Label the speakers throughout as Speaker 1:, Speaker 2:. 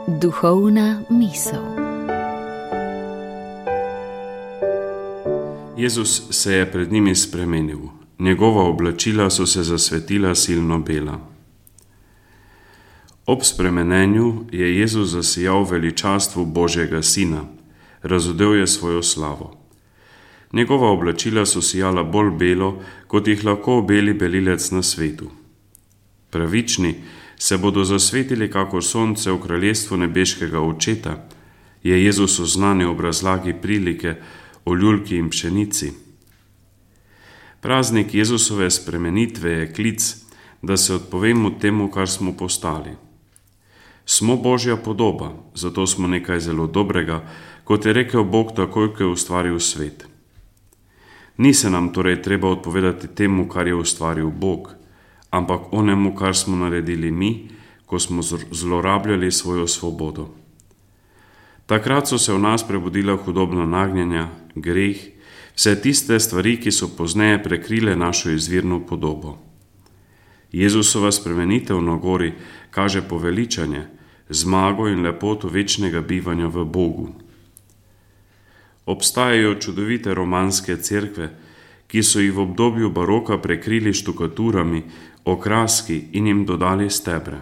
Speaker 1: Duhovna misel.
Speaker 2: Jezus se je pred njimi spremenil. Njegova oblačila so se zasvetila silno bela. Ob spremenenju je Jezus zasijal v veličastvu Božjega Sina, razodel je svojo slavo. Njegova oblačila so sijala bolj belo, kot jih lahko obeli belilec na svetu. Pravični se bodo zasvetili kakor sonce v kraljestvu nebeškega Očeta, je Jezus oznanil ob razlagi prilike o ljulki in pšenici. Praznik Jezusove spremenitve je klic, da se odpovemo temu, kar smo postali. Smo Božja podoba, zato smo nekaj zelo dobrega, kot je rekel Bog takoj, ko je ustvaril svet. Ni se nam torej treba odpovedati temu, kar je ustvaril Bog, ampak onemu, kar smo naredili mi, ko smo zlorabljali svojo svobodo. Takrat so se v nas prebudila hudobna nagnjenja, greh, vse tiste stvari, ki so pozneje prekrile našo izvirno podobo. Jezusova spremenitev na gori kaže poveličanje, zmago in lepoto večnega bivanja v Bogu. Obstajajo čudovite romanske cerkve, ki so jih v obdobju baroka prekrili štukaturami, okraski in jim dodali stebre.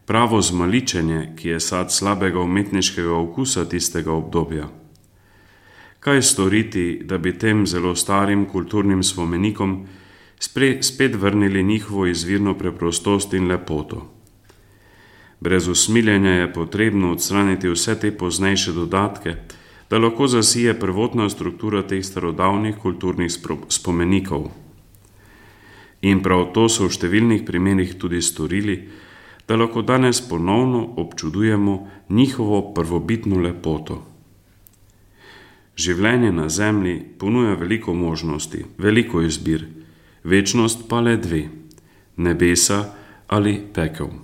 Speaker 2: Pravo zmaličenje, ki je sad slabega umetniškega okusa tistega obdobja. Kaj storiti, da bi tem zelo starim kulturnim spomenikom spet vrnili njihovo izvirno preprostost in lepoto? Brez usmiljenja je potrebno odstraniti vse te poznejše dodatke, da lahko zasije prvotna struktura teh starodavnih kulturnih spomenikov. In prav to so v številnih primerih tudi storili, da lahko danes ponovno občudujemo njihovo prvobitno lepoto. Življenje na zemlji ponuja veliko možnosti, veliko izbir, večnost pa le dve, nebesa ali pekel.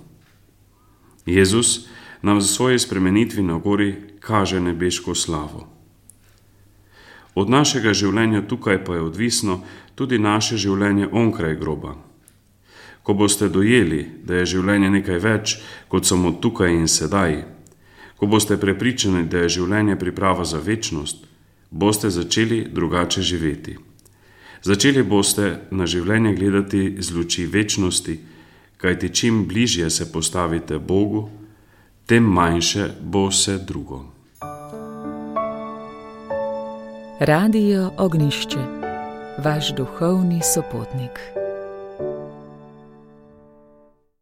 Speaker 2: Jezus nam v svoji spremenitvi na gori kaže nebeško slavo. Od našega življenja tukaj pa je odvisno tudi naše življenje onkraj groba. Ko boste dojeli, da je življenje nekaj več kot samo tukaj in sedaj, ko boste prepričani, da je življenje priprava za večnost, boste začeli drugače živeti. Začeli boste na življenje gledati z luči večnosti, kajti čim bližje se postavite Bogu, tem manjše bo vse drugo.
Speaker 1: Radio Ognjišče, vaš duhovni sopotnik.